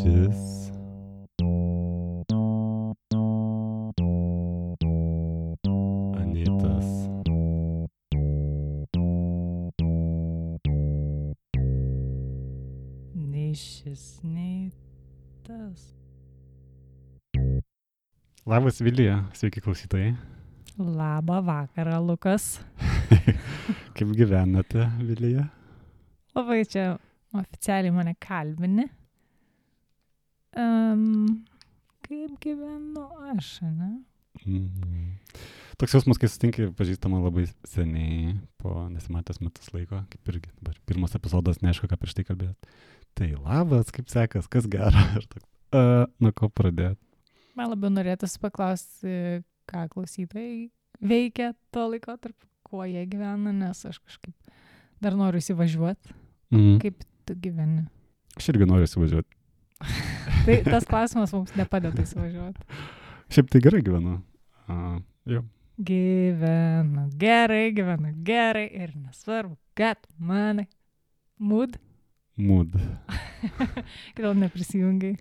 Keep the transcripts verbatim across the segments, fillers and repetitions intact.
Nišis. Anytas. Nei šis, nei tas. Labas Vilija, sveiki klausytojai. Labą vakarą, Lukas. Kaip gyvenate, Vilija? Labai čia oficialiai mane kalbini. Um, kaip gyvenu aš, ne? Mm. Toks jausmas, kai sutinki pažįstama labai seniai, po nesimatęs metus laiko, kaip irgi dabar pirmas epizodas, neaišku, ką prieš tai kalbėt. Tai labas, kaip sekas, kas gera. Ir toks, uh, nuo ko pradėt? Man labiau norėtųsi paklausti, ką klausytojai veikia tuo laikotarpiu, kuo jie gyvena, nes aš kažkaip dar noriu įsivažiuoti. Mm. Kaip tu gyveni? Aš irgi noriu įsivažiuoti. Tai tas klausimas mums nepadeda įsivažiuoti. Šiaip tai gerai gyvenu. Uh, jau. Gyvenu gerai, gyvenu gerai ir nesvarbu, kad manai. Mood? Mood. Kodėl neprisijungiai?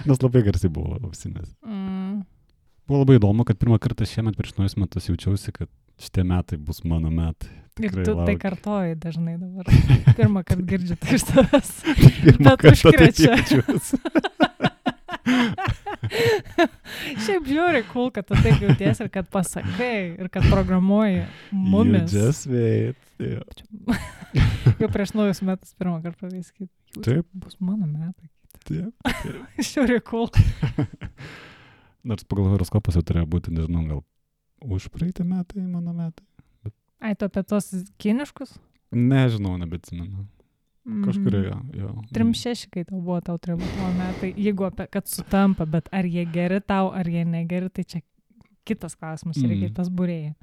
Nes labai garsiai buvo ausinės. Mm. Buvo labai įdomu, kad pirmą kartą šiemet prieš naujus metus jaučiausi, kad šitie metai bus mano metai. Ir Tikrai tu tai laukiu. kartoji dažnai dabar. Pirmą kartą girdžiu tai iš tavęs. Pirmą Bet kartą taip užkrečia. jaučiausi. Šiaip žiūri, cool, kad tu taip jauties ir kad pasakai ir kad programuoji mumis. You just wait. Yeah. Jau prieš naujus metus pirmą kartą viskai. Taip. Bus mano metai. Taip. Žiūri, cool. Nors pagal horoskopas jau turėjo būti, nežinau, gal už praeitį metai, mano metai. Ai, tu apie tos kiniškus? Nežinau, nebetsimenu. Mhm. Kažkurioje, jo. Trim šeši, kai tau buvo, tau turėjo būti tavo metai. Jeigu apie, kad sutampa, bet ar jie geri tau, ar jie negeri, tai čia kitas klausimas, Mm. reikia tas būrėjai.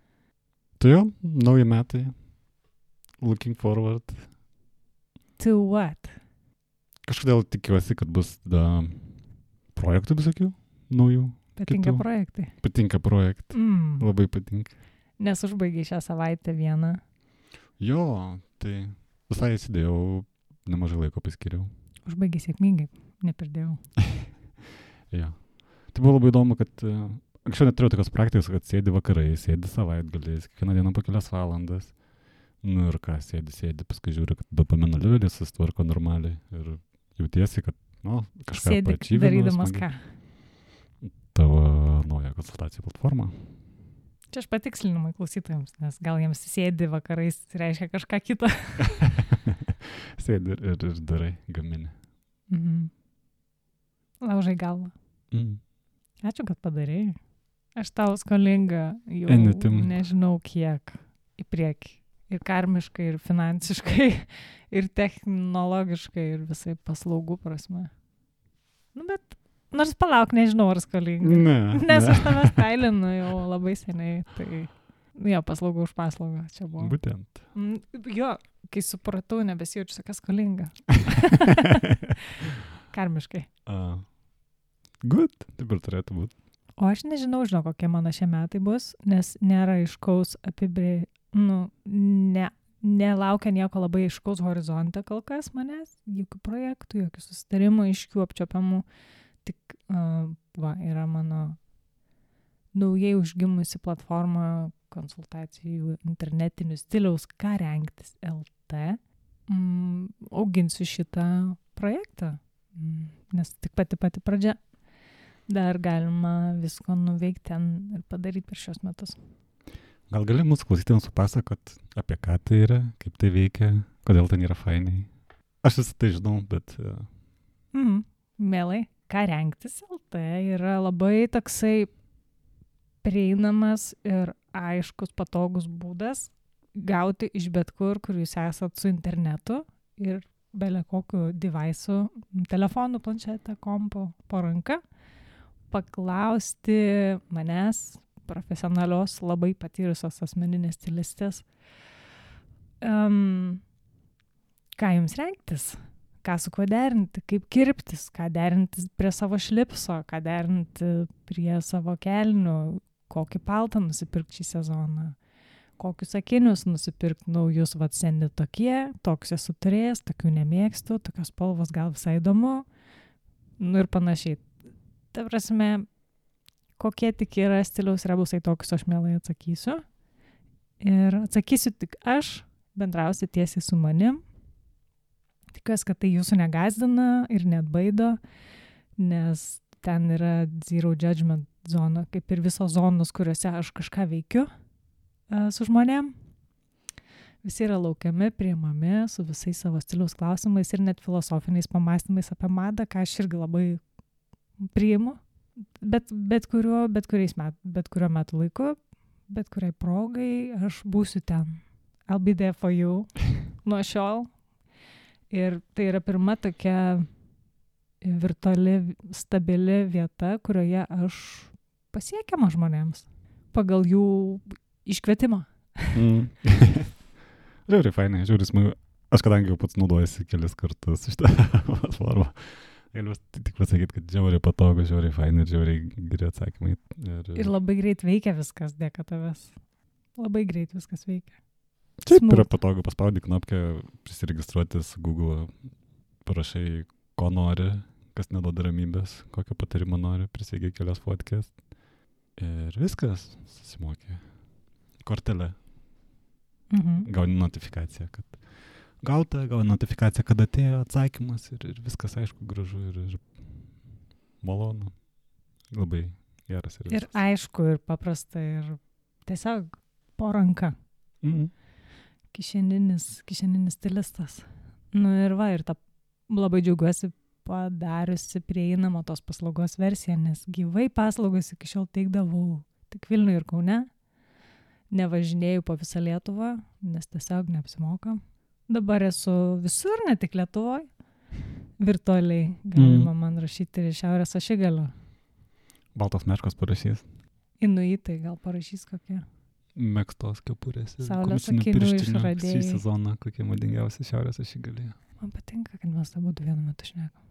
Tai jo, nauji metai. Looking forward. To what? Kažkodėl tikiuosi, kad bus da, projektų visokių naujų. Patinka Kitų. projektai. Patinka projektai. Mm. Labai patinka. Nes užbaigiai šią savaitę vieną. Jo, tai visai įsidėjau, nemažai laiko paskiriau. Užbaigiai sėkmingai, nepirdėjau. Jo. Tai buvo labai įdomu, kad uh, anksčiau neturėjau tokios praktikos, kad sėdi vakarai, sėdi savaitgaliais, kiekvieną dieną po kelias valandas. Nu ir ką, sėdi, sėdi, paskui žiūri, kad dopamino levelis sustvarko normaliai ir jautiesi, kad, nu, kažką Sėdi paačyvinau darydamas smagiai. ką? Tavo naują konsultacijų platformą. Čia aš patikslinimai klausytojams, nes gal jiems sėdi vakarais reiškia kažką kitą. Sėdi ir, ir, ir darai, gamini. Mhm. Laužai galvą. Mm. Ačiū, kad padarėjai. Aš tau skolinga jau Anytime. nežinau kiek į priekį. Ir karmiškai, ir finansiškai, ir technologiškai, ir visai paslaugų prasme. Nu, bet nors palauk, nežinau, ar skolinga. Ne. Nes ne. aš tave stailinu jau labai seniai, tai jo, paslaugų už paslaugą čia buvo. Būtent. Mm, Jo, kai supratau, nebesijaučiu tokia skolinga. Karmiškai. Uh, good, taip ir turėtų būti. O aš nežinau, žinau, kokie mano šie metai bus, nes nėra aiškaus apibrė... Nu, ne, nelaukia nieko labai aiškaus horizontą kol kas manęs, jokių projektų, jokių susitarimų, aiškių apčiopiamų. Tik, uh, va, yra mano naujai užgimusi platforma konsultacijų internetinių stiliaus ką rengtis L T. Mm, auginsiu šitą projektą, mm, nes tik pati pati pradžia. Dar galima visko nuveikti ten ir padaryti per šios metus. Gal gali mūsų klausytėms supasakot, apie ką tai yra, kaip tai veikia, kodėl ten yra fainiai. Aš visą tai žinau, bet... Uh, Mhm. Mielai, ką rengtis L T yra labai toksai prieinamas ir aiškus, patogus būdas gauti iš bet kur, kur jūs esat su internetu ir bele kokiu device'u, telefonu, planšetę, kompu, po ranka, paklausti manęs, profesionalios, labai patyrusios asmeninės stilistės, um, ką jums rengtis, ką su kuo derinti, kaip kirptis, ką derinti prie savo šlipso, ką derinti prie savo kelnių, kokį paltą nusipirkti šį sezoną, kokius akinius nusipirkti naujus, vat seni tokie, toks esu turėjęs, tokių nemėgstu, tokios spalvos gal visai įdomu, Nu ir panašiai. Ta prasme, kokie tik yra stiliaus rebusai, tokius aš mielai atsakysiu. Ir atsakysiu tik aš, bendrausiu tiesiai su manim. Tikiuosi, kad tai jūsų negazdina ir net baido, nes ten yra zero judgment zona, kaip ir visos zonos, kuriuose aš kažką veikiu uh, su žmonėm. Visi yra laukiami, priimami su visais savo stiliaus klausimais ir net filosofiniais pamastymais apie madą, ką aš irgi labai priimu. Bet, bet, kuriuo, bet, kuriais met, bet kuriuo metu laiku, bet kuriai progai aš būsiu ten. I'll be there for you nuo šiol. Ir tai yra pirma tokia virtuali, stabili vieta, kurioje aš pasiekiama žmonėms pagal jų iškvietimą. Mm. Žiauriai fainai, žiauriai smagu. Aš kadangi jau pats naudojasi kelis kartus šitą platformą, galiu tik pasakyti, kad žiauriai patogu, žiauriai fainai ir žiauriai geri atsakymai. Ir, ir labai greit veikia viskas dėka tavęs. Labai greit viskas veikia. Taip, yra patogu, paspaudi knopkę, prisiregistruoti su Google, parašai, ko nori, kas neduoda ramybės, kokio patarimo nori, prisėgiai kelias fotkės ir viskas, susimokė. Kortelė. Mhm. Gauni notifikaciją, kad gauta, gauni notifikaciją, kad atėjo atsakymas ir, ir viskas aišku, gražu ir, ir malonu. Labai geras. Ir, ir aišku, ir paprasta, ir tiesiog po ranka. Mhm. Kišeninis, kišeninis stilistas. Nu ir va, ir ta labai džiaugiuosi padariusi prieinamą tos paslaugos versiją, nes gyvai paslaugos iki šiol teikdavau tik Vilniuje ir Kaune. Nevažinėjau po visą Lietuvą, nes tiesiog neapsimoka. Dabar esu visur, ne tik Lietuvoje. Virtualiai galima mm. man rašyti ir Šiaurės ašigalio. Baltos meškos parašys. Inuitai gal parašys kokie. Megztos kepurės ir Saulės komisinių akinių pirštinių išradėjai. sezoną, kokie madingiausi Šiaurės ašigalyje. Man patinka, kad mes abu vienu metu šnekam.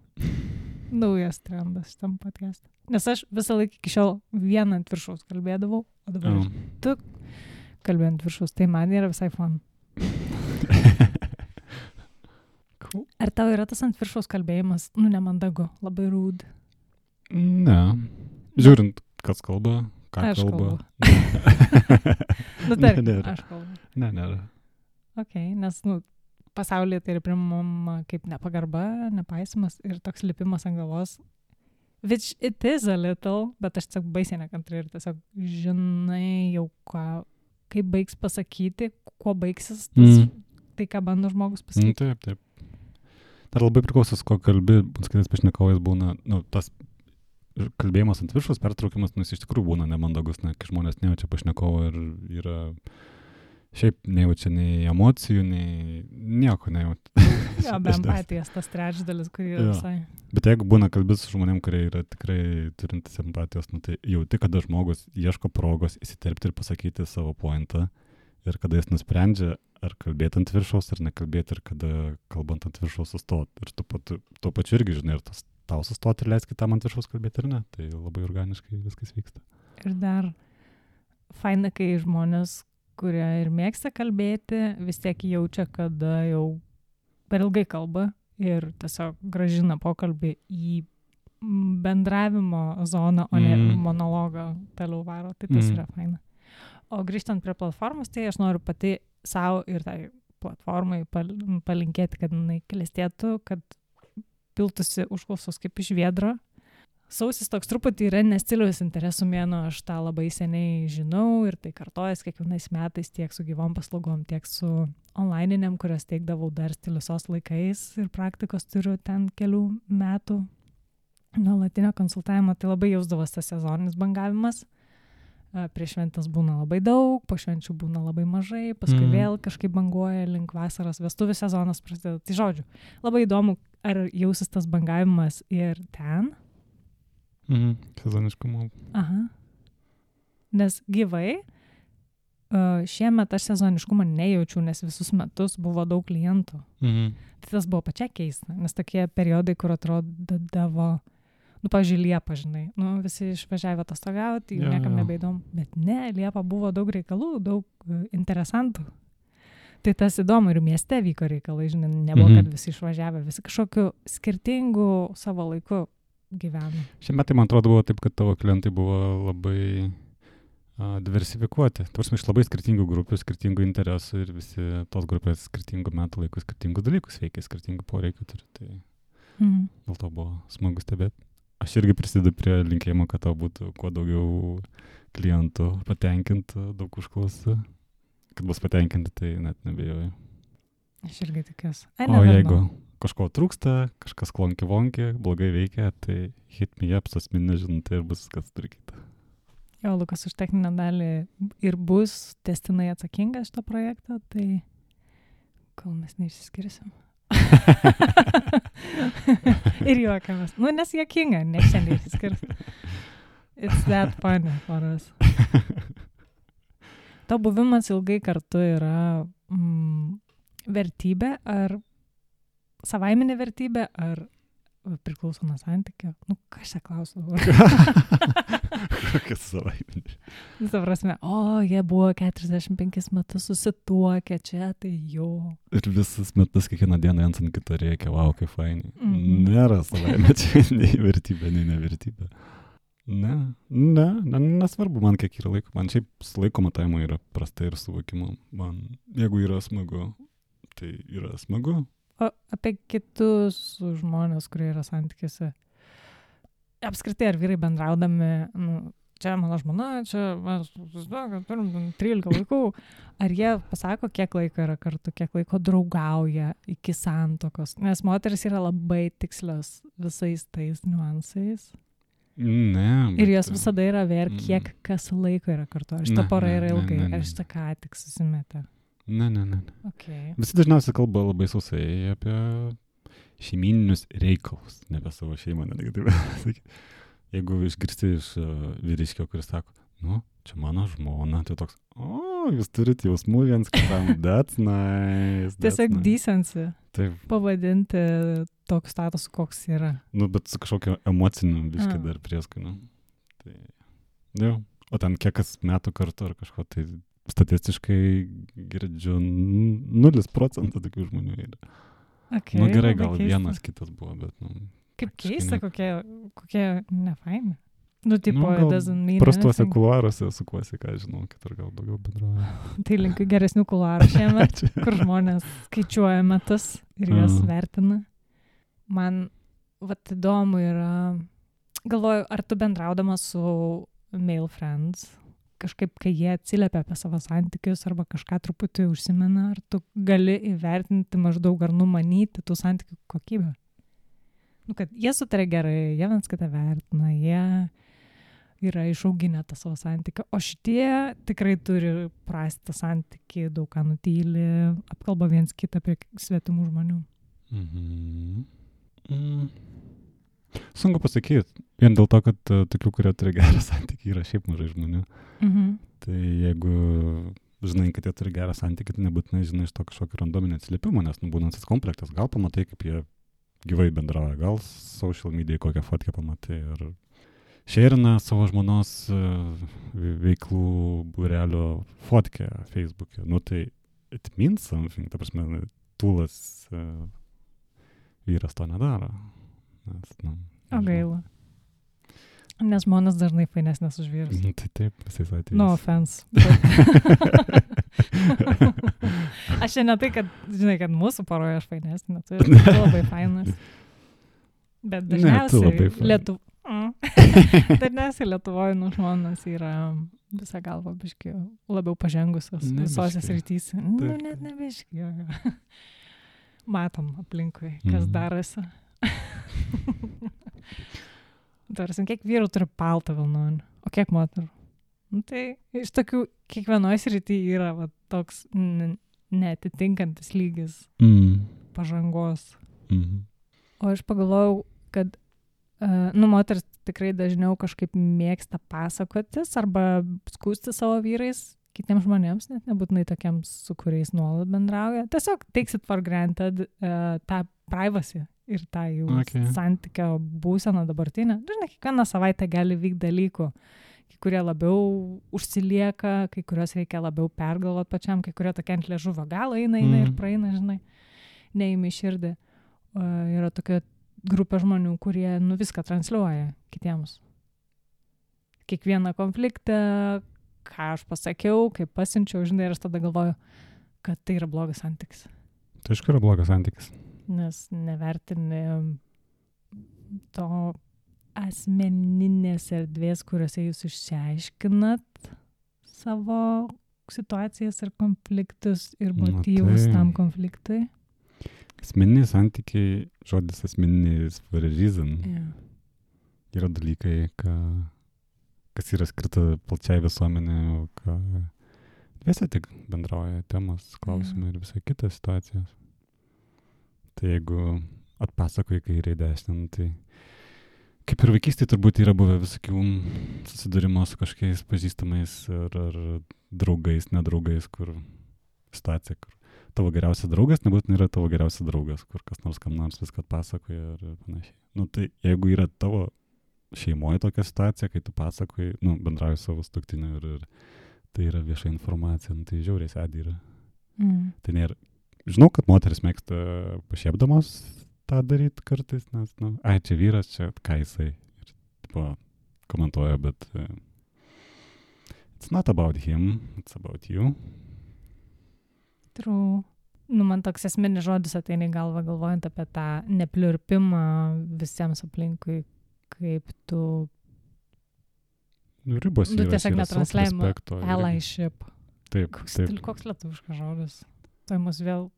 Naujas trendas šitam podcast'e. Nes aš visą laiką iki šiol vieną ant viršaus kalbėdavau, o dabar Mm. tu kalbėjai ant viršaus. Tai man yra visai fun. Cool. Ar tau yra tas ant viršaus kalbėjimas, nu nemandagu, labai rude? Ne. Žiūrint, kas kalba, ką Aš kalba. Nu, tarkim, Ne, nėra. aš kalbu. Ne, nėra. Ok, nes, nu, pasaulyje tai yra primama kaip nepagarba, nepaisimas ir toks lipimas ant galvos. Which it is a little, bet aš tiesiog baisiai nekantri ir tiesiog žinai jau ką, kaip baigs pasakyti, kuo baigsis tas, Mm. tai, ką bando žmogus Mm, pasakyti. taip, taip. Dar labai priklauso, su ko kalbi, su kitais pašnekovais būna, nu, tas kalbėjimas ant viršus, pertraukimas, nu, jis iš tikrųjų būna nemandagus, ne, kai žmonės nejaučia pašnekovo ir yra, šiaip nejaučia nei emocijų, nei nieko nejaučia. Jo, be empatijos tas trečdalis, kurį Jo. visai. Bet jeigu būna kalbės su žmonėm, kurie yra tikrai turintis empatijos, nu, tai jauti, kada žmogus ieško progos įsiterpti ir pasakyti savo pointą ir kada jis nusprendžia, ar kalbėti ant viršaus, ar nekalbėti, ir kada kalbant ant viršaus sustoti. Ir tu, tu, tuo pačiu irgi žinai, ar tas tau sustoti ir leisti kitam ant viršaus kalbėti, ar ne. Tai labai organiškai viskas vyksta. Ir dar faina, kai žmonės, kurie ir mėgsta kalbėti, vis tiek jaučia, kada jau per ilgai kalba ir tiesiog gražina pokalbį į bendravimo zoną, o ne Mm. monologą toliau varo. Tai tas Mm. yra faina. O grįžtant prie platformos, tai aš noriu pati savo ir tai platformai pal- palinkėti, kad jinai klestėtų, kad piltųsi užklausos kaip iš viedro. Sausis toks truputį yra nestiliaus interesų mėnuo, aš tą labai seniai žinau ir tai kartojas kiekvienais metais tiek su gyvom paslaugom, tiek su onlininiam, kurias teikdavau dar stiliusos laikais ir praktikos turiu ten kelių metų nuolatinio konsultavimo, tai labai jausdavas tas sezoninis bangavimas. Prieš šventas būna labai daug, po švenčių būna labai mažai, paskui Mhm. vėl kažkaip banguoja link vasaros, vestuvių sezonas prasideda. Tai žodžiu, labai įdomu, ar jausis tas bangavimas ir ten. Mhm. Sezoniškumo. Aha. Nes gyvai uh, šiemet aš sezoniškumą nejaučiu, nes visus metus buvo daug klientų. Mhm. Tai tas buvo pačia keista, nes tokie periodai, kur atrodavo, nu, pavyzdžiui, Liepa, žinai, nu, visi išvažiavę atostogauti, jų Jo, niekam jo. nebeįdomu. Bet ne, Liepa buvo daug reikalų, daug uh, interesantų. Tai tas įdomu ir mieste vyko reikalai, žinai, nebuvo, Mhm. kad visi išvažiavę, visi kažkokiu skirtingu savo laiku gyvena. Šie metai, man atrodo, buvo taip, kad tavo klientai buvo labai a, diversifikuoti. Tarsi iš labai skirtingų grupių, skirtingų interesų ir visi tos grupės skirtingų metų laikų skirtingus dalykus veikia, skirtingų poreikių turi. Tai Mhm. dėl to buvo smagu stebėti. Aš irgi prisidedu prie linkėjimo, kad tau būtų kuo daugiau klientų patenkintų, daug užklausų. Kad bus patenkinti, tai net nebejoju. Aš irgi tikiuosi. Ai, O never jeigu know. kažko trūksta, kažkas klonki vonki, blogai veikia, tai hit me up, asmeninė žinutė ir bus kas tvarkyta. Jo, Lukas už techninę dalį ir bus testinai atsakingas šito projekto, tai kol mes neišsiskirsim. Ir juokiamės. Nu, nes juokinga, ne šiandien išsiskirsim. It's that funny for us. To buvimas ilgai kartu yra mm, vertybė ar savaiminė vertybė ar priklauso nuo santykio? Nu, ką aš čia klausiu? Kokia savaiminė. Visą prasme, o, jie buvo keturiasdešimt penkis metus susituokę čia, tai jo. Ir visus metus kiekvieną dieną viens ant kito reikia, wow, kaip fainai. Mhm. Nėra savaime čia nei vertybė, nei nevertybė. Ne, ne, ne, nesvarbu man kiek yra laiko. Man šiaip su laiko matavimu yra prastai ir suvokimu. Man, jeigu yra smagu, tai yra smagu. O apie kitus žmonės, kurie yra santykiuose. Apskritai, ar vyrai bendraudami, nu, čia mano žmona, čia mes turim trylika vaikų, ar jie pasako, kiek laiko yra kartu, kiek laiko draugauja iki santokos? Nes moteris yra labai tikslios visais tais niuansais. Ne. Ir jos visada yra ver, kiek kas laiko yra kartu. Ar šita Ne, pora ne, yra ne, ilgai, ne, ne. ar šita ką tik susimetė. Ne, ne, ne. ne. Okay. Visi dažniausiai kalba labai sausai apie šeimininius reikalus, ne apie savo šeimą, netgi taip sakyti. Jeigu išgirsti iš uh, vyriškio, kuris sako, nu, čia mano žmona, tai toks, o, jūs turite jausmų viens kitam, that's nice. That's Tiesiog nice. decency Taip, pavadinti toks status, koks yra. nu, bet su kažkokiu emociniu biškai A. dar prieskoniu. Tai, jau, o ten kiek kas metų kartu ar kažko, tai statistiškai girdžiu n- nulis procentų tokių žmonių yra. Okay, Nu gerai, labai gal keista. vienas kitas buvo, bet, nu, Kaip praktiškai keista, ne. kokie, kokie nefaini. Nu, tipo, Nu, it gal doesn't mean prastuose anything. kuluaruose sukuosi, ką žinau, kitur gal daugiau bendrauja. Tai linkiu geresnių kuluarų šiemet, kur žmonės skaičiuoja metus ir juos Mhm. vertina. Man, vat įdomu yra, galvoju, ar tu bendraudamas su male friends, kažkaip, kai jie atsiliepia apie savo santykius arba kažką truputį užsimena, ar tu gali įvertinti maždaug ar numanyti tų santykių kokybę? Nu, kad jie sutarė gerai, jie viens kitą vertina, jie yra išauginę tą savo santykį, o šitie tikrai turi prastą santykį, daug ką nutyli, apkalba viens kitą apie svetimų žmonių. Mhm. Mm. Sunku pasakyti, vien dėl to, kad uh, tokių, kurie turi gerą santykį, yra šiaip mažai žmonių. Mhm. Tai jeigu žinai, kad jie turi gerą santykį, tai nebūtinai žinai iš to kažkokio randominio atsiliepimo, nes nu, būna tas komplektas, gal pamatai, kaip jie gyvai bendrauja, gal social media kokią fotkę pamatai ir šerina savo žmonos uh, veiklų būrelio fotkę Facebook'e. Nu tai it means something, ta prasme, tūlas uh, vyras to nedaro. Nes, nu, O nežinau. gaila. Nes žmonės dažnai fainesnės už vyrus. Nu, tai taip, visais atvejais. No offense. Bet... aš čia ne tai, kad, žinai, kad mūsų poroje aš fainesnė, tu esi labai fainas. Bet Ne, tu dažniausiai labai faina. Lietu... Mm. dažniausiai Lietuvoje nu žmonos yra visą galvą biškį labiau pažengusios Ne visose biškį. srityse. Nu, Taip, net taip. ne biškį. jo, jo. Matom aplinkui, kas Mhm. darosi. Tarsi, kiek vyrų turi paltą vilnonį, o kiek moterų? Nu, tai iš tokių kiekvienoje srityje yra va, toks n- neatitinkantis lygis Mm. pažangos. Mhm. O aš pagalvojau, kad uh, nu, moteris tikrai dažniau kažkaip mėgsta pasakotis arba skūsti savo vyrais kitiems žmonėms, net nebūtinai tokiems, su kuriais nuolat bendrauja. Tiesiog takes it for granted uh, tą privacy ir tą jų Okay. santykio būseną dabartinę. Dažnai kiekvieną savaitę gali vykti dalykų, kai kurie labiau užsilieka, kai kurios reikia labiau pergalvoti pačiam, kai kurie tokia ant liežuvio galo eina, eina ir Mhm. praeina, žinai, neįmi širdį. Uh, yra tokia grupė žmonių, kurie nu viską transliuoja kitiems. Kiekvieną konfliktą, ką aš pasakiau, kaip pasiunčiau, žinai, ir aš tada galvoju, kad tai yra blogas santykis. Tai iš kur yra blogas santykis? Nes nevertini to asmeninės erdvės, kuriuose jūs išsiaiškinat savo situacijas ir konfliktus ir motyvus tai... tam konfliktui. Asmeniniai santykiai, žodis asmeninis for a reason. Yeah. Yra dalykai, ką, kas yra skirta plačiai visuomenė, o ką visi tik bendrauja temos, klausimai yeah. ir visai kitos situacijos. Tai jeigu atpasakoji kairė dešinę, tai kaip ir vaikystėje turbūt yra buvę visokių susidūrimo su kažkokiais pažįstamais ar, ar draugais, nedraugais, kur situacija, kur tavo geriausias draugas nebūtinai yra tavo geriausias draugas, kur kas nors kam nors viską atpasakoja ir panašiai. Nu tai jeigu yra tavo šeimoje tokia situacija, kai tu pasakoji, nu bendrauji savo sutuoktiniu ir, ir tai yra vieša informacija, nu tai žiauriai sėdi yra. Mm. Tai nėra, žinau, kad moteris mėgsta pašiepdamos tą daryti kartais, nes, nu, ai, čia vyras, čia ką jisai ir, tipo, komentuoja, bet uh, it's not about him, it's about you. True. Nu, man toks esminis žodis ateina į galvą, galvojant apie tą nepliurpimą visiems aplinkui, kaip tu... Nu, ribos nu, yra, tiesiog netransliavimo allyship. Taip, koks, taip. Koks lietuviškas žodis? Tai mus vėl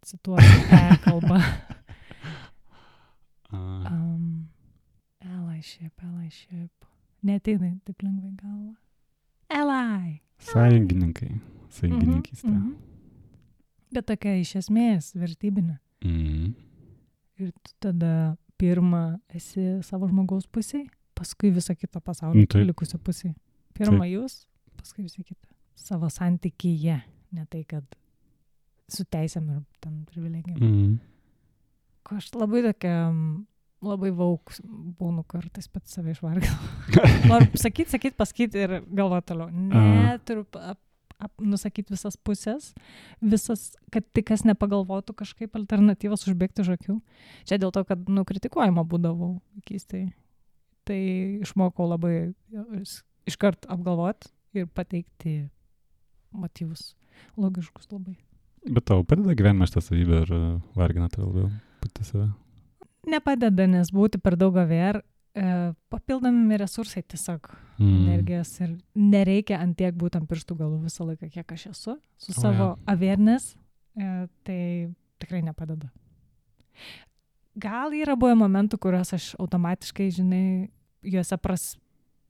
cituoja e-kalba. uh. um, allyship, allyship. Neateina taip lengvai galva. Ally. Sąjungininkai. Sąjungininkystė. Mm -hmm. Bet tokia iš esmės vertybinė. Mm. Ir tu tada pirmą esi savo žmogaus pusėj, paskui visą kitą pasaulį mm, likusią pusėj. Pirmą taip. Jūs, paskui visą kitą. Savo santykyje, ne tai, kad su teisėm ir ten privilegijom. Mm. Ko aš labai tokia, labai vauk būnu kartais pats save išvargau. Noriu sakyt, sakyt, pasakyt ir galvoti toliau. Ne, turiu ap, ap, nusakyti visas pusės, visas, kad tik kas nepagalvotų kažkaip alternatyvas užbėgti už akių. Čia dėl to, kad, nu, kritikuojama būdavau keistai. Tai išmokau labai iškart apgalvoti ir pateikti motyvus logiškus labai. Bet tau padeda gyvenime šitą savybę ir vargina tave labiau pati save? Nepadeda, nes būti per daug aver, e, papildomi resursai tiesiog mm. energijos ir nereikia ant tiek būti ant pirštų galų visą laiką, kiek aš esu, su oh, savo ja. awareness, e, tai tikrai nepadeda. Gal yra buvę momentų, kuriuos aš automatiškai, žinai, juose pras,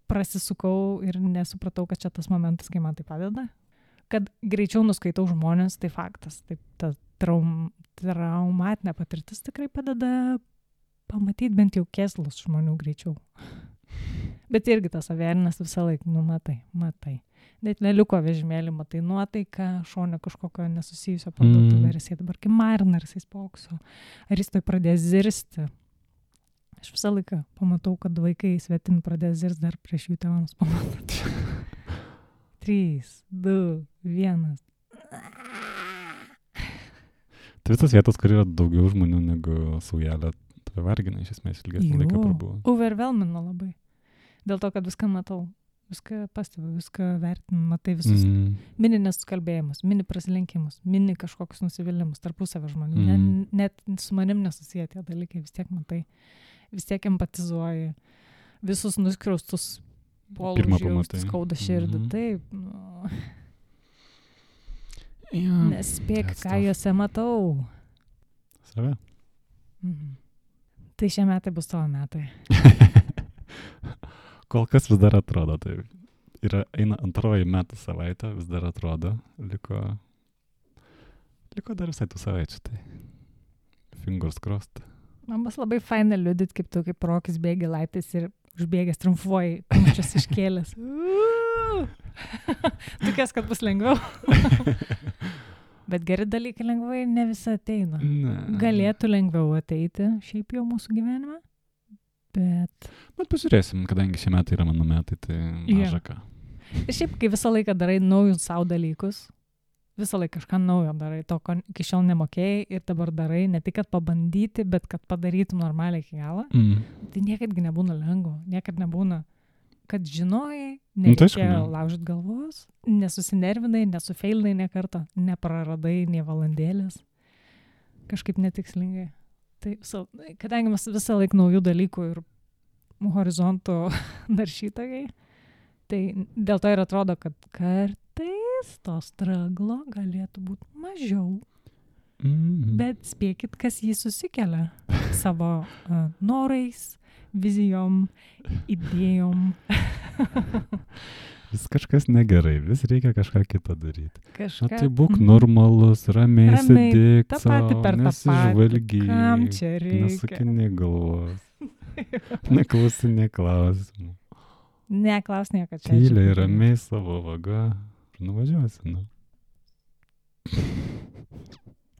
prasisukau ir nesupratau, kad čia tas momentas, kai man tai padeda. Kad greičiau nuskaitau žmonės, tai faktas. Taip, ta traum, traumatinė patirtis tikrai padeda pamatyti bent jau kėslus žmonių greičiau. Bet irgi tas awareness visą laiką, nu matai, matai. Net leliuko vežimėlį, matai nuotaiką, šone kažkokio nesusijusio parduotuvę, mm. ar jisai dabar kimarina, ar jisai spaukso, ar jis tai pradės zirsti. Aš visą laiką pamatau, kad vaikai svetimi pradės zirsti dar prieš jų tėvams pamatyti. Trys, du, vienas. Tai visas vietas, kur yra daugiau žmonių negu saujelė, tave vargina iš esmės ilgesnį laiką prabuvo. Overwhelmino labai. Dėl to, kad viską matau, viską pastebiu, viską vertinu, matai visus mm. mini nesukalbėjimus, mini prasilenkimus, mini kažkokius nusivylimus tarpusavio žmonių. Mm. Ne, net su manim nesusiję tie dalykai, vis tiek matai, vis tiek empatizuoji, visus nuskriaustus polūžiaus, skauda širdį, mm-hmm. taip. Nu. Yeah, nespėk, ką tough. Juose matau. Save? Mhm. Tai šie metai bus tavo metai. Kol kas vis dar atrodo, tai yra, eina antroji metų savaitė, vis dar atrodo, liko, liko dar visai tų savaičių, tai fingers crossed. Man bus labai faina liudyti, kaip tu, kaip Rokis bėgi laiptais ir užbėgęs triumfuoji, kumščius iškėlęs. Tikės, kad bus lengviau. Bet geri dalykai lengvai ne visą ateina. Ne. Galėtų lengviau ateiti šiaip jau mūsų gyvenime, bet... Bet pažiūrėsim, kadangi šie metai yra mano metai, tai maža ką. Ir šiaip, kai visą laiką darai naujus savo dalykus, visą laiką kažką naujo darai, to, ko iki šiol nemokėjai ir dabar darai, ne tik, kad pabandyti, bet kad padarytum normaliai iki galo. Mm. Tai niekadgi nebūna lengvo, niekad nebūna, kad žinojai, Nu, tai aišku, nereikėjo ne. laužyt galvos, nesusinervinai, nesufeilinai ne kartą, nepraradai nie valandėlės, kažkaip netikslingai. Tai visą, kadangi mes visą laiką naujų dalykų ir horizontų naršytojai, tai dėl to ir atrodo, kad kartais to straglo galėtų būti mažiau. Mm. Bet spėkit, kas jį susikelia savo uh, norais, vizijom, idėjom. Vis kažkas negerai, vis reikia kažką kitą daryti. Kažką. Na tai būk normalus, ramiai Ramiai, sėdėk tą patį per tą patį. Kam nesižvalgyk, čia reikia? nesukini galvos, neklausinė klausimų. Neklaus nieko čia. Tyliai, ramiai savo vaga ir nuvažiuosi, nu.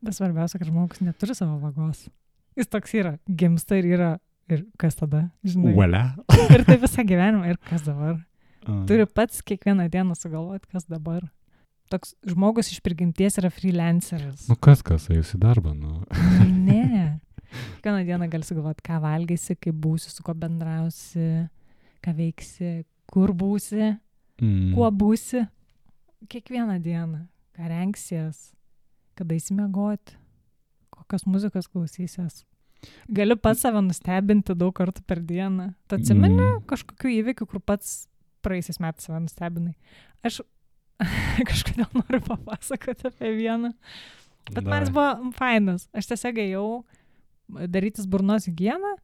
Bet svarbiausia, kad žmogus neturi savo vagos. Jis toks yra, gimsta ir yra, ir kas tada, žinai. Uolia. Ir tai visą gyvenimą, ir kas dabar. Turi pats kiekvieną dieną sugalvoti, kas dabar. Toks žmogus iš prigimties yra freelanceris. Nu kas, kas, eis į darbą, nu. Ne. Kiekvieną dieną gali sugalvoti, ką valgysi, kaip būsi, su kuo bendrausi, ką veiksi, kur būsi, Mm. kuo būsi. Kiekvieną dieną, ką rengsies, kada įsimiegoti, kokios muzikos klausysies. Gali pats save nustebinti daug kartų per dieną. Tu atsimeni Mm. kažkokių įvykių, kur pats praeisiais metais save nustebinai. Aš kažkodėl noriu papasakoti apie vieną. Bet man jis buvo fainas. Aš tiesiog ėjau darytis burnos higieną,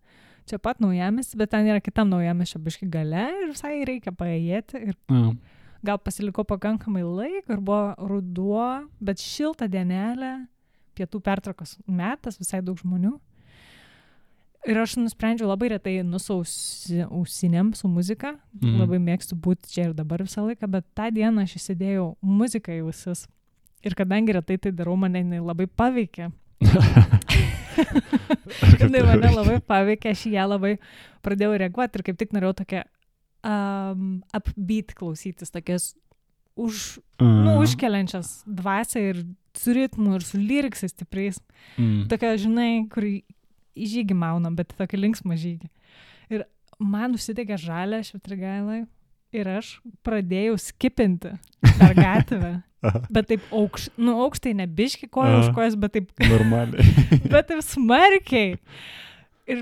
čia pat Naujamiesty, bet ten yra kitam Naujamiesčio biški gale ir visai reikia paėjėti. Ir A. gal pasilikau pakankamai laiko ir buvo ruduo, bet šilta dienelė, pietų pertraukos metas, visai daug žmonių. Ir aš nusprendžiau labai retai nusausi ausinėm su muzika. Mhm. Labai mėgstu būti čia ir dabar visą laiką, bet tą dieną aš įsidėjau muziką į ausis. Ir kadangi retai tai darau, mane jinai labai paveikė. Jinai mane labai paveikė, aš ją labai pradėjau reaguoti ir kaip tik norėjau tokią um, upbeat klausytis, tokias už, nu, užkeliančias dvasią ir su ritmu ir su lyriksais stipriais. Mm. Tokia, žinai, kur į žygį maunam, bet tokį linksmą žygį. Ir man užsidegė žalia švitrigailai ir aš pradėjau skipinti per gatvę. Bet taip aukš, nu, aukštai nebiški koja už kojas, bet taip normaliai. Bet taip smarkiai. Ir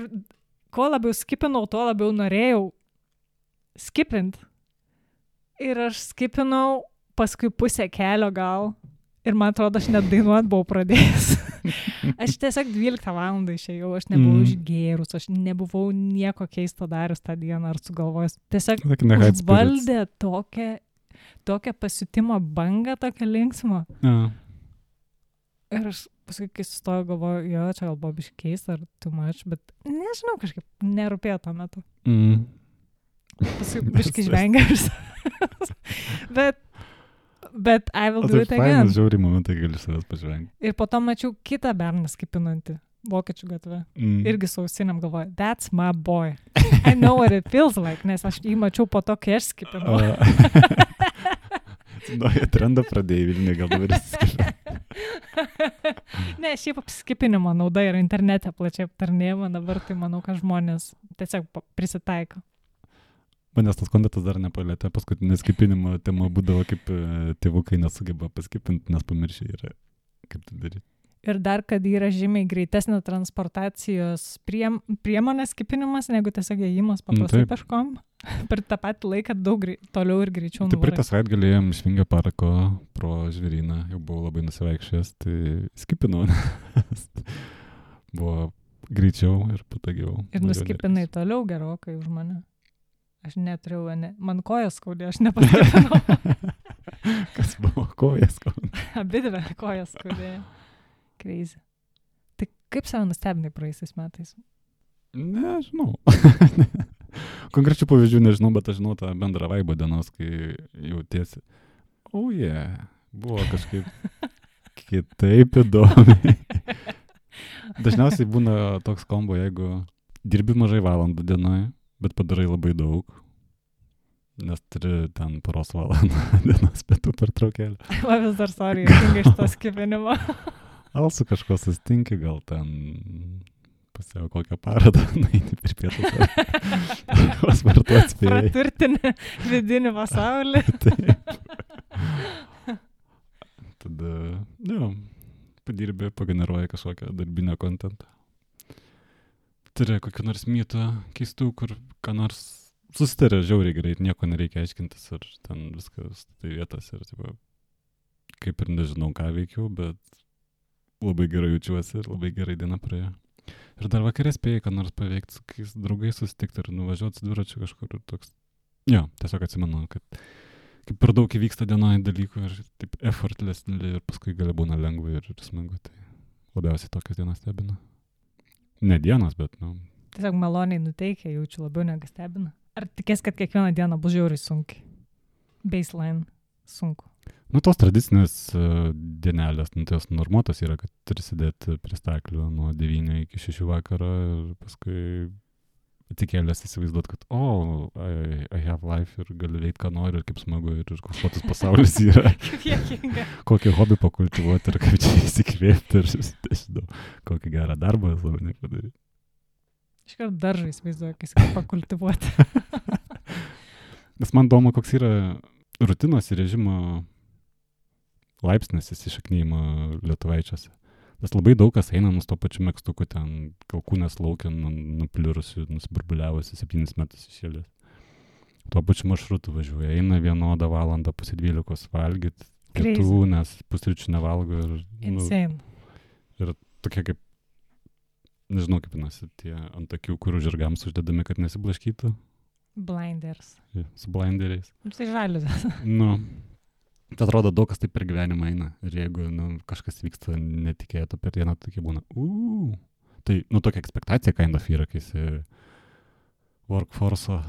kuo labiau skipinau, tuo labiau norėjau skipint. Ir aš skipinau paskui pusę kelio gal. Ir man atrodo, aš net dainuot buvau pradėjęs. Aš tiesiog dvyliktą valandą išėjau, aš nebuvau Mm. išgėrus, aš nebuvau nieko keisto darius tą dieną ar sugalvojęs. Tiesiog Like in the high spirits. užvaldė tokią, tokią pasiutimo bangą, tokią linksmą. Ja. Ir aš paskui, kai sustojau, galvoju, jo, čia gal buvo biškai keista ar too much, bet nežinau, kažkaip nerūpėjo tuo metu. Mm. Paskui biškai žvengia. bet, bet I will O do tai it again. fainas žiauriai momentai gali savęs pažvengti. Ir po to mačiau kitą berną skipinantį vokiečių gatvę. Mm. Irgi su ausinėm galvoju, that's my boy. I know what it feels like, nes aš jį mačiau po to, kai aš skipinau. Naują trendą pradėjai Vilniuje, gal dabar įsiskipinti. Ne, šiaip apskipinimo nauda yra internete plačiai aptarnėjama, dabar tai manau, kad žmonės tiesiog pa- prisitaiko. Manęs tas kontentas dar nepalėtė, paskutinė skipinimo tema būdavo, kaip e, tėvukai nesugeba paskipinti, nes pamiršė yra, kaip tai daryti. Ir dar, kad yra žymiai greitesnė transportacijos priem, priemonės skipinimas, negu tiesiog ėjimas paprastai taip. peškom. Per tą patį laiką daug grei, toliau ir greičiau Tai praeitą nuvarai. savaitę galėjom iš Vingio parko pro žvėryną, jau buvau labai nusivaikščiojęs, tai skipinau. Buvo greičiau ir patogiau. Ir nuskipinai toliau gerokai už mane. Aš neturėjau, ne, man kojas skaudė, aš nepaskipinau. Kas buvo kojas? Abi dvi kojas skaudėjo. Crazy. Tai kaip save nustebinai praeisiais metais? Nežinau. Konkrečių pavyzdžių nežinau, bet aš žinau tą bendrą vaibą dienos, kai jautiesi. O oh, yeah, buvo kažkaip kitaip įdomi. Dažniausiai būna toks kombo, jeigu dirbi mažai valandų dienoje, bet padarai labai daug. nes turi ten poros valandą dienos pietų pertraukėlę. Va vis dar, sorry, jungia iš to skipinimo. Al su kažko sustinki, gal ten pasiau kokią parodą, nueini per pietus. Pasvartu atspėjai. Praturtinę vidinį pasaulį. Taip. Tada, jo, padirbė, pageneruoja kažkokią darbinę kontentą. Turi kokių nors mytų keistų, kur ką nors susitarė žiauriai greit, nieko nereikia aiškintis ir ten viskas tai vietas ir tipo, kaip ir nežinau, ką veikiau, bet labai gerai jaučiuosi ir labai gerai diena praėjo. Ir dar vakarė spėjai, ką nors paveikti, su kai draugais susitikti ir nuvažiuoti su dviračiu kažkur ir toks. Jo, tiesiog atsimenu, kad kaip per daug įvyksta dienoje dalykų ir taip effortless ir paskui gali būna lengva ir, ir smagu. Tai labiausiai tokios dienos stebina. Ne dienos, bet, nu. Tiesiog maloniai nuteikia, jaučiu labiau negu stebina. Ar tikės, kad kiekvieną dieną bus žiauriai sunkiai? Baseline sunku. Nu, tos tradicinės uh, dienelės, nu, tos normuotos yra, kad turi sėdėti prie staklių nuo devynių iki šešių vakaro ir paskui atsikėlęs įsivaizduot, kad o, oh, I, I have life ir gali veikti, ką nori ir kaip smagu ir koks platus pasaulis yra. Kokį hobį pakultivuoti ir kaip čia įsikvėpti ir žinau, kokį gerą darbą savo nepadaryti. Iškart daržą įsivaizduoju, kai kaip pakultivuoti. Nes man įdomu, koks yra rutinos ir režimo laipsnis įsišaknyjimo lietuvaičiuose. Nes labai daug kas eina nus to pačiu megztuku ten kalkūnės laukia, nupliurusi, nusiburbuliavusi septynis metus išėlės. Tuo pačiu maršrutu važiuoja, eina vienodą valandą pusė dvylikos valgyti, pietų, nes pusryčių nevalgo ir... Insane. Nu, ir tokie kaip, nežinau kaip nasi, tie ant akių, kurių žirgams uždedami, kad nesiblaškytų. Blinders. Ja, su blinderiais. Tai žaliuzas. Nu... Tai atrodo, daug kas taip per gyvenimą eina. Ir jeigu nu, kažkas vyksta netikėto per dieną, tokie būna. Uuu. Tai, nu, tokia ekspektacija kind of yra, kai esi workforce'o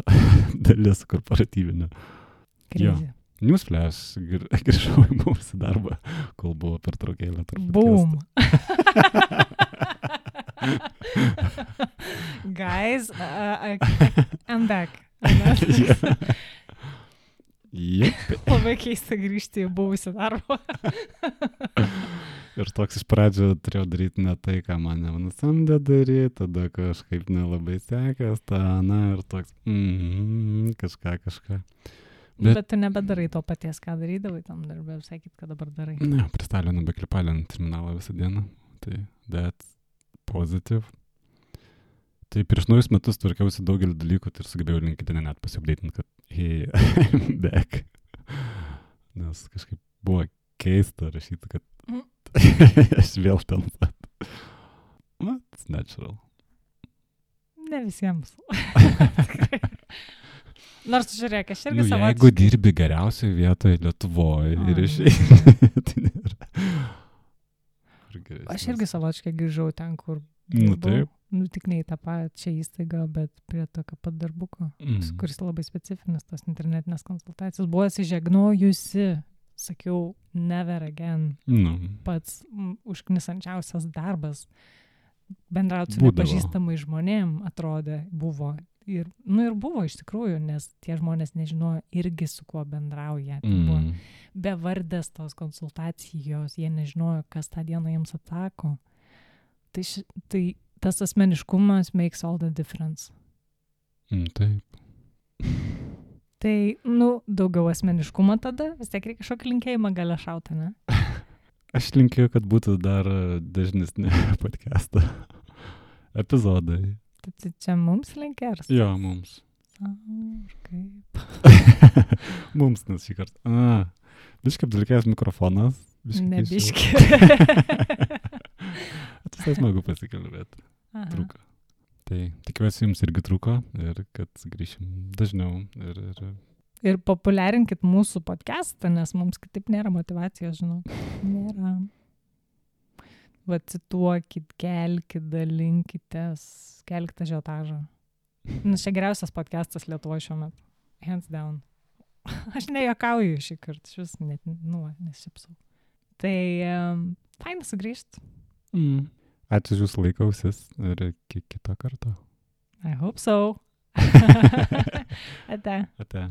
dalis korporatyvinio. Krizė. Newsflash, gr- grįžau į mūsų darbą, kol buvo pertraukėlė. Boom. Guys, uh, uh, I'm back. Yeah. Jep. Labai keista grįžti į buvusią darbą. Ir toks iš pradžio turėjau daryti ne tai, ką mane nusamdė daryti, tada kažkaip nelabai sekės, ta, na, ir toks, mm, kažką, kažką. Bet, Bet tu nebedarai to paties, ką darydavai tam darbę, sakyt, kad dabar darai. Ne, prie stalio nebeklipalint terminalą visą dieną, tai that's positive. Tai prieš naujus metus tvarkiausi daugelį dalykų ir sugebėjau LinkedIn net pasiupdėtinti, kad hey, I'm back. Nes kažkaip buvo keista rašyti, kad mm. aš vėl ten pat. It's natural. Ne visiems. Nors žiūrėk, aš irgi nu, savotiškai. Jeigu dirbi geriausioje vietoje Lietuvoje oh. ir išeini, tai nėra. Aš irgi savotiškai grįžau ten, kur nu, taip. Nu, tik ne į tą pačią įstaigą, bet prie tokio pat darbuko, mm. kuris labai specifinis, tos internetinės konsultacijos. Buvo atsižegnojusi, sakiau, never again. No. Pats m, užknisančiausias darbas. Bendrauti su nepažįstamai žmonėm, atrodė, buvo. Ir, nu ir buvo iš tikrųjų, nes tie žmonės nežinojo irgi su kuo bendrauja. Tai mm. buvo bevardės tos konsultacijos, jie nežinojo, kas tą dieną jiems atsako. Tai, ši, tai tas asmeniškumas makes all the difference. Mm, taip. Tai, nu, daugiau asmeniškumo tada, vis tiek reikia kažkokį linkėjimą gale šautą, ne? Aš linkiu, kad būtų dar dažnesni podcast'o epizodai. Tai čia mums linkėrs? Jo, mums. A, kaip? Mums, nes šį kartą. A, biškai apdulkėjęs mikrofonas. Biškai ne biškai. Visai smagu pasikalbėti. Trūko. Tai tikiuosi jums irgi trūko ir kad grįšim dažniau. Ir, ir... ir populiarinkit mūsų podcastą, nes mums kitaip nėra motyvacijos, žinau. Nėra. Va, cituokit, kelkit, dalinkitės, kelkite žiotažą. Nes čia geriausias podcastas Lietuvoje šiuo metu. Hands down. Aš nejuokauju šį kartą, aš vis net, nu, nesipsau. Tai um, faina sugrįžti. Mm. Ačiū už jūsų laikausis ir iki kito karto. I hope so. Ate. Ate.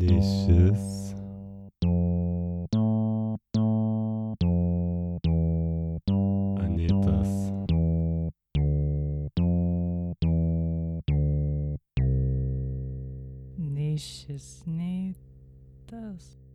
Nei šis. Anytas. Nei šis, nei tas.